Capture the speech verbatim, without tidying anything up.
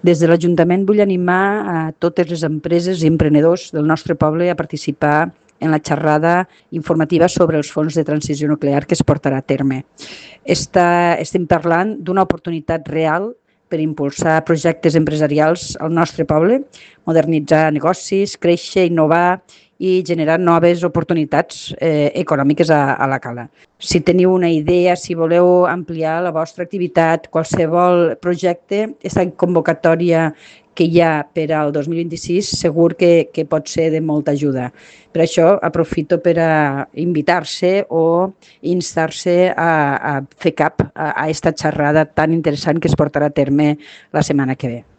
Des de l'Ajuntament vull animar a totes les empreses i emprenedors del nostre poble a participar en la xerrada informativa sobre els fons de transició nuclear que es portarà a terme. Està, estem parlant d'una oportunitat real per impulsar projectes empresarials al nostre poble, modernitzar negocis, créixer, innovar i generar noves oportunitats eh, econòmiques a, a la Cala. Si teniu una idea, si voleu ampliar la vostra activitat, qualsevol projecte, aquesta convocatòria que hi ha per al dos mil vint-i-sis segur que, que pot ser de molta ajuda. Per això aprofito per a invitar-se o instar-se a, a fer cap a aquesta xerrada tan interessant que es portarà a terme la setmana que ve.